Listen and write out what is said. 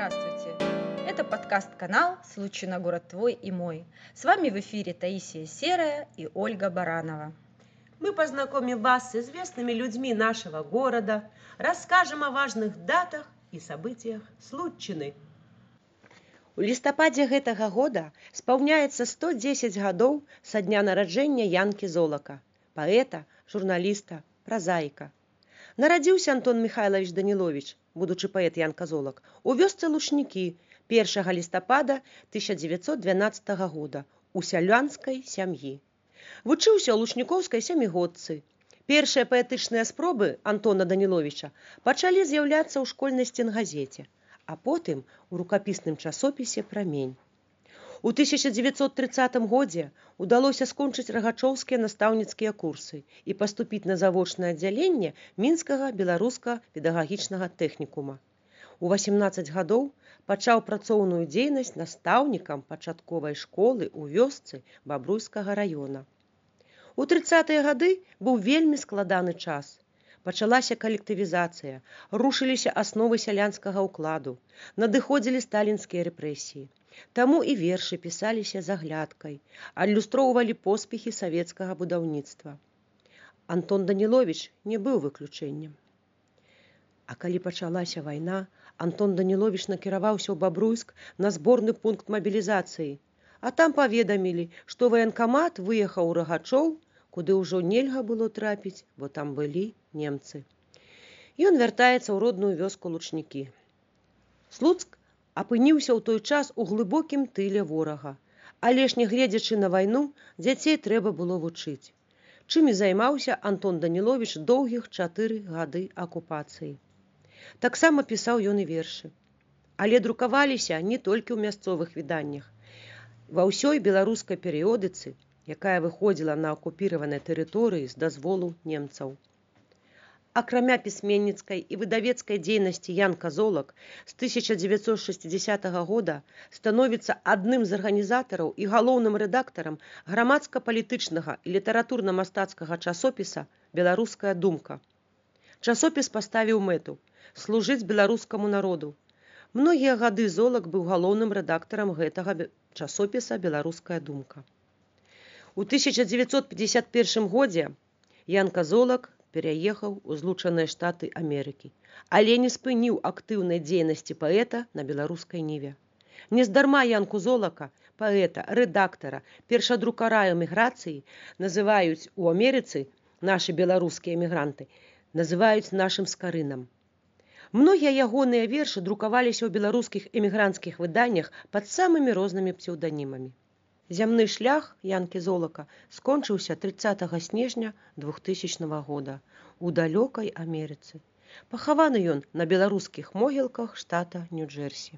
Здравствуйте! Это подкаст-канал «Случай на город твой и мой». С вами в эфире Таисия Серая и Ольга Баранова. Мы познакомим вас с известными людьми нашего города, расскажем о важных датах и событиях Случчыны. У лістападзе гэтага года спаўняецца 110 гадоў са дня нараджэння Янкі Золака, паэта, журналіста, празаіка. Нарадзіўся Антон Михайлович Даніловіч, будучы паэт Янка Золак, у вёсцы Лучнікі 1 лістапада 1912 года у сялянскай сям'і. Вучыўся ў лучнікоўскай сямігодцы. Першыя паэтычныя спробы Антона Даніловіча пачалі з'яўляцца ў школьнай стенгазеце, а потым у рукапісным часопісе «Прамень». У 1930 годзе удалося скончыць рагачоўскія настаўніцкія курсы і паступіць на завочнае аддзяленне Мінскага беларуска-педагагічнага тэхнікума. У 18 гадоў пачаў працоўную дзейнасць настаўнікам пачатковай школы ў вёсцы Бабруйскага раёна. У 30-е гады быў вельмі складаны час. Пачалася калектывізацыя, рушыліся асновы сялянскага ўкладу, надыходзілі сталінскія рэпрэсіі. Таму і вершы пісаліся з аглядкай, адлюстроўвалі поспехі савецкага будаўніцтва. Антон Даніловіч не быў выключэннем. А калі пачалася вайна, Антон Даніловіч накіраваўся ў Бабруйск на зборны пункт мабілізацыі, а там паведамілі, што ваенкамат выехаў у Рагачоў, куды ўжо нельга было трапіць, бо там былі немцы. Ён вяртаецца ў родную вёску Лучнікі. Слуцк апыніўся ў той час у глыбокім тыле ворага, але ж не гледзячы на вайну, дзяцей трэба было вучыць. Чым і займаўся Антон Даніловіч доўгіх 4 гады акупацыі. Таксама пісаў ён і вершы. Але друкаваліся не толькі ў мясцовых выданнях. Ва ўсёй беларускай перыёдыцы, якая выходзіла на акупіраванай тэрыторыі з дазволу немцаў. Акрамя пісьменніцкай і выдавецкай дзейнасці Янка Золак з 1960 года становіцца адным з арганізатараў і галоўным рэдактарам грамадска-палітычнага і літаратурна-мастацкага часопіса «Беларуская думка». Часопіс паставіў мэту служыць беларускаму народу. Многія гады Золак быў галоўным рэдактарам гэтага часопіса «Беларуская думка». У 1951 годзе Янка Золак пераехаў у Злучаныя Штаты Амерыкі, але не спыніў актыўнай дзейнасці паэта на беларускай ніве. Нездарма Янку Золака, паэта, рэдактара, першадрукара эміграцыі называюць у Амерыцы, нашы беларускія эмігранты, называюць нашым скарынам. Многія ягоныя вершы друкаваліся ў беларускіх эмігранцкіх выданнях пад самымі рознымі псеўданімамі. Зямны шлях Янкі Золака скончыўся 30 снежня 2000 года у далёкай Амерыцы. Пахаваны ён на беларускіх могілках штата Нью-Джерсі.